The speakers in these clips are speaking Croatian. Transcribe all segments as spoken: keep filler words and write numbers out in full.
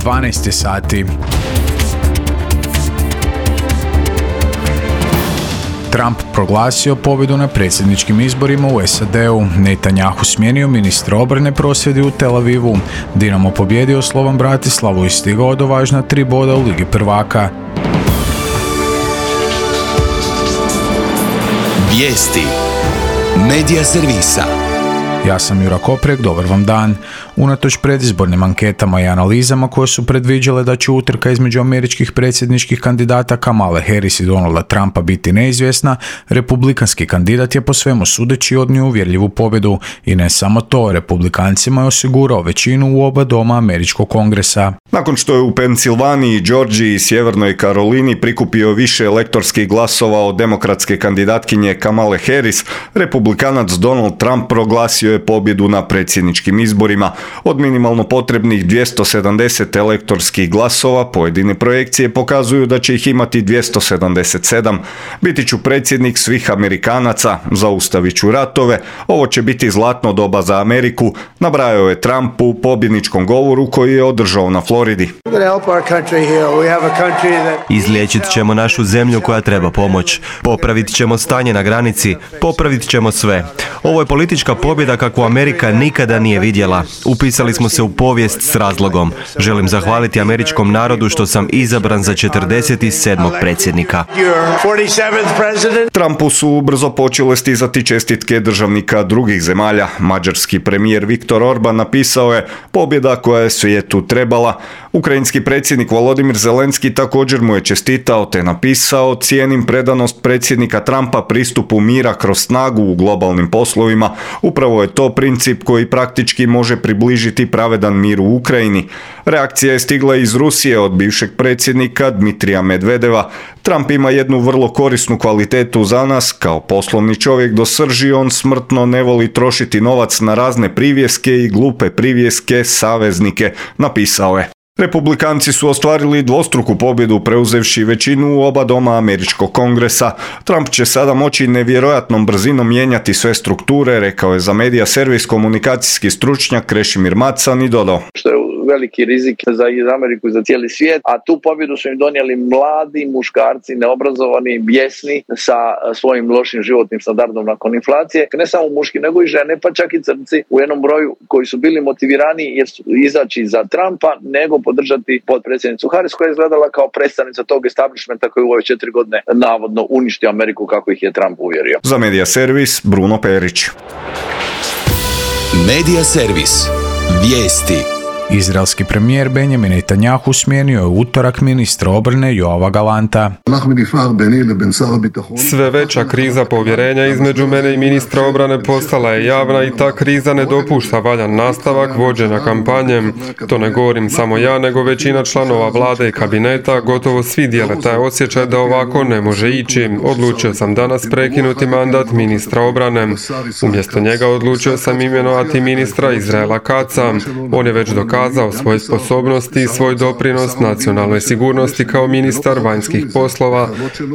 dvanaest sati. Trump proglasio pobjedu na predsjedničkim izborima u S A D-u. Netanjahu smijenio ministra obrane, prosvjedi u Tel Avivu. Dinamo pobjedio Slovan Bratislavu i stigao do važna tri boda u Ligi prvaka. Vijesti Medija servisa. Ja sam Jura Koprek, dobar vam dan. Unatoč predizbornim anketama i analizama koje su predviđale da će utrka između američkih predsjedničkih kandidata Kamale Harris i Donalda Trumpa biti neizvjesna, republikanski kandidat je po svemu sudeći odnio uvjerljivu pobjedu i ne samo to, republikancima je osigurao većinu u oba doma američkog kongresa. Nakon što je u Pensilvaniji, Georgiji i Sjevernoj Karolini prikupio više elektorskih glasova od demokratske kandidatkinje Kamale Harris, republikanac Donald Trump proglasio je pobjedu na predsjedničkim izborima. Od minimalno potrebnih dvjesto sedamdeset elektorskih glasova pojedine projekcije pokazuju da će ih imati dvjesto sedamdeset sedam. Biti ću predsjednik svih Amerikanaca, zaustavit ću ratove, ovo će biti zlatno doba za Ameriku, nabrajao je Trump u pobjedničkom govoru koji je održao na Floridi. Izliječit ćemo našu zemlju koja treba pomoć. Popravit ćemo stanje na granici. Popravit ćemo sve. Ovo je politička pobjeda kakvu Amerika nikada nije vidjela. Upisali smo se u povijest s razlogom. Želim zahvaliti američkom narodu što sam izabran za četrdeset sedmog predsjednika. Trumpu su brzo počele stizati čestitke državnika drugih zemalja. Mađarski premijer Viktor Orban napisao je: pobjeda koja je svijetu trebala. Ukrajinski predsjednik Volodimir Zelenski također mu je čestitao te napisao: cijenim predanost predsjednika Trumpa pristupu mira kroz snagu u globalnim poslovima. Upravo je to princip koji praktički može približiti pravedan mir u Ukrajini. Reakcija je stigla iz Rusije od bivšeg predsjednika Dmitrija Medvedeva. Trump ima jednu vrlo korisnu kvalitetu za nas. Kao poslovni čovjek do srži on smrtno ne voli trošiti novac na razne privjeske i glupe privjeske saveznike, napisao je. Republikanci su ostvarili dvostruku pobjedu preuzevši većinu u oba doma američkog kongresa. Trump će sada moći nevjerojatnom brzinom mijenjati sve strukture, rekao je za medija servis komunikacijski stručnjak Krešimir Macan i dodao: što je veliki rizik za Ameriku i za cijeli svijet, a tu pobjedu su im donijeli mladi muškarci, neobrazovani, bijesni, sa svojim lošim životnim standardom nakon inflacije. Ne samo muški, nego i žene, pa čak i crnci u jednom broju koji su bili motivirani jer su izaći za Trumpa, nego podržati potpredsjednicu Harris koja je izgledala kao predstavnica tog establishmenta koji u ove četiri godine navodno uništio Ameriku kako ih je Trump uvjerio. Za medija servis Bruno Perić. Medija servis. Vijesti. Izraelski premijer Benjamin Netanjahu smijenio je u utorak ministra obrane Joava Galanta. Sve veća kriza povjerenja između mene i ministra obrane postala je javna i ta kriza ne dopušta valjan nastavak vođenja kampanje. To ne govorim samo ja, nego većina članova vlade i kabineta, gotovo svi dijele taj osjećaj da ovako ne može ići. Odlučio sam danas prekinuti mandat ministra obrane. Umjesto njega odlučio sam imenovati ministra Izraela Katza. On je već dokazao pokazao svoje sposobnosti i svoj doprinos nacionalnoj sigurnosti kao ministar vanjskih poslova,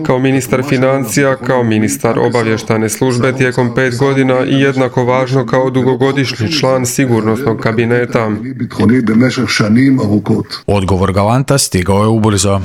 kao ministar financija, kao ministar obavještajne službe tijekom pet godina i jednako važno kao dugogodišnji član sigurnosnog kabineta. Odgovor Galanta stigao je ubrzo.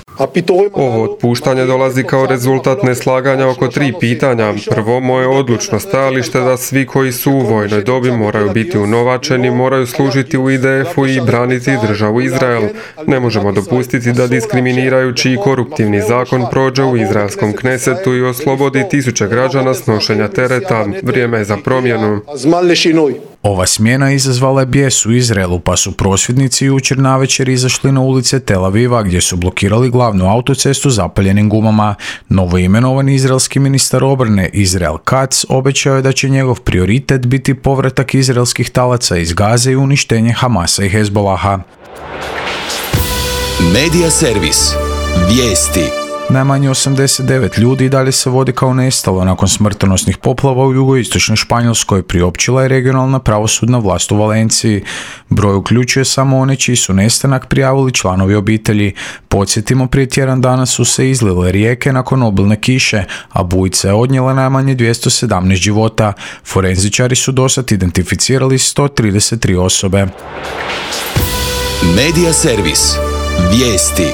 Ovo otpuštanje dolazi kao rezultat neslaganja oko tri pitanja. Prvo, moje odlučno stajalište da svi koji su u vojnoj dobi moraju biti unovačeni, moraju služiti u I D F-u i braniti državu Izrael. Ne možemo dopustiti da diskriminirajući i koruptivni zakon prođe u izraelskom Knesetu i oslobodi tisuće građana snošenja tereta. Vrijeme je za promjenu. Ova smjena izazvala je bijes u Izraelu, pa su prosvjednici jučer navečer izašli na ulice Tel Aviva gdje su blokirali glavnu autocestu zapaljenim gumama. Novoimenovani izraelski ministar obrane Izrael Katz obećao je da će njegov prioritet biti povratak izraelskih talaca iz Gaze i uništenje Hamasa i Hezbolaha. Medija servis. Vijesti. Najmanje osamdeset devet ljudi dalje se vodi kao nestalo nakon smrtonosnih poplava u jugoistočnoj Španjolskoj, priopćila je regionalna pravosudna vlast u Valenciji. Broj uključuje samo one čiji su nestanak prijavili članovi obitelji. Podsjetimo, prije tjedan dana su se izlile rijeke nakon obilne kiše, a bujica je odnijela najmanje dvjesto sedamnaest života. Forenzičari su dosad identificirali sto trideset tri osobe. Medija servis. Vijesti.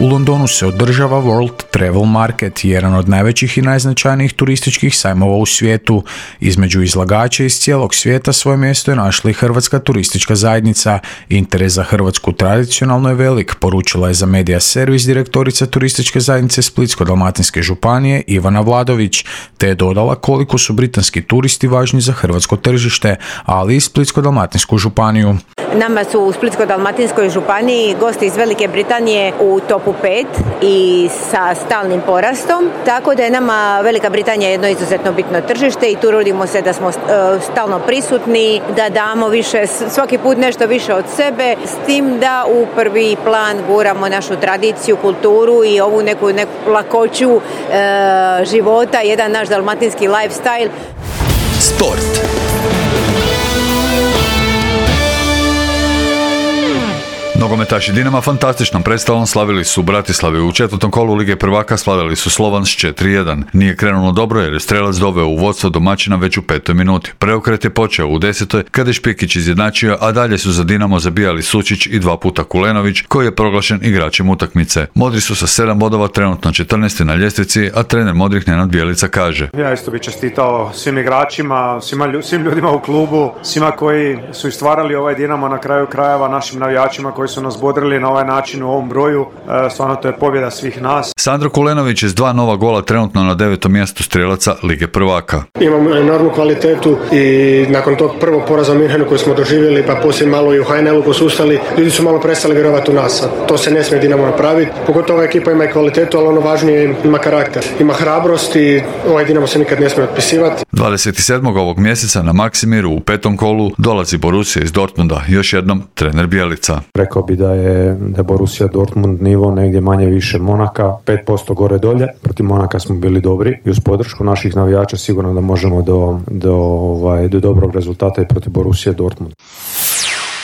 U Londonu se održava World Travel Market, jedan od najvećih i najznačajnijih turističkih sajmova u svijetu. Između izlagača iz cijelog svijeta svoje mjesto je našla i Hrvatska turistička zajednica. Interes za Hrvatsku tradicionalno je velik, poručila je za Media Servis direktorica turističke zajednice Splitsko-dalmatinske županije Ivana Vladović, te je dodala koliko su britanski turisti važni za hrvatsko tržište, ali i Splitsko-dalmatinsku županiju. Nama su u Splitsko-dalmatinskoj županiji gosti iz Velike Britanije u topu pet i sa stalnim porastom, tako da je nama Velika Britanija jedno izuzetno bitno tržište i trudimo se da smo stalno prisutni, da damo više, svaki put nešto više od sebe, s tim da u prvi plan guramo našu tradiciju, kulturu i ovu neku, neku lakoću e, života, jedan naš dalmatinski lifestyle. Sport. Nogometaši Dinama fantastičnom predstavom slavili su u Bratislavi. U četvrtom kolu Lige prvaka slavili su Slovan s četiri jedan. Nije krenulo dobro jer je strelac doveo u vodstvo domaćina već u petoj minuti. Preokret je počeo u desetoj kada je Špikić izjednačio, a dalje su za Dinamo zabijali Sučić i dva puta Kulenović, koji je proglašen igračem utakmice. Modri su sa sedam bodova trenutno četrnaesti na ljestvici, a trener modrih Nenad Bjelica kaže: Ja isto bih čestitao svim igračima, svima, svim ljudima u klubu, svima koji su istvarali ovaj Dinamo, na kraju krajeva našim navijačima koji su nas bodrili na ovaj način u ovom broju. Stvarno to je pobjeda svih nas. Sandro Kulenović je s dva nova gola trenutno na devetom mjestu strelaca Lige prvaka. Imamo enormnu kvalitetu i nakon tog prvog poraza u Minhenu koji smo doživjeli, pa poslije malo i u H N L-u posustali, ljudi su malo prestali vjerovati u nas. To se ne smije Dinamo napraviti. Pogotovo ova ekipa ima i kvalitetu, ali ono važnije ima karakter. Ima hrabrost i ovaj Dinamo se nikad ne smije otpisivati. dvadeset sedmog ovog mjeseca na Maksimiru u petom kolu dolazi Borussia iz Dortmunda, još jednom trener Bjelica. Rekao bi da je, da je Borussia Dortmund nivo negdje manje više Monaka, pet posto gore dolje. Protiv Monaka smo bili dobri i uz podršku naših navijača sigurno da možemo do, do, ovaj, do dobrog rezultata i protiv Borussia Dortmund.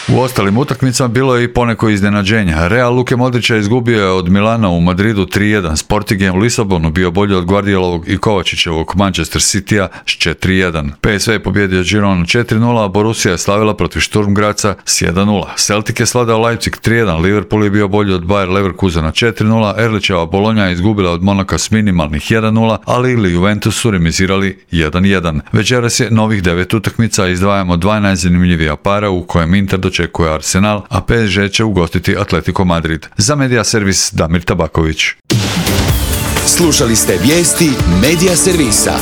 U ostalim utakmicama bilo je i poneko iznenađenja. Real Luke Modrića izgubio je od Milana u Madridu tri jedan. Sporting u Lisabonu bio bolji od Guardiolovog i Kovačićevog Manchester Citya s četiri jedan. P S V je pobjedio Gironu četiri nula, a Borussia je slavila protiv Sturm Graza s jedan nula. Celtic je sladao Leipzig tri jedan, Liverpool je bio bolji od Bayer Leverkusena četiri nula, Erlićeva Bologna je izgubila od Monaka s minimalnih jedan nula, ali ili Juventus su remizirali jedan jedan. Večeras je novih devet utakmica, izdvajamo dva najzanimljivija para u kojem Inter očekuje Arsenal, a P S G će ugostiti Atletico Madrid. Za Media Servis Damir Tabaković. Slušali ste vijesti Media Servisa.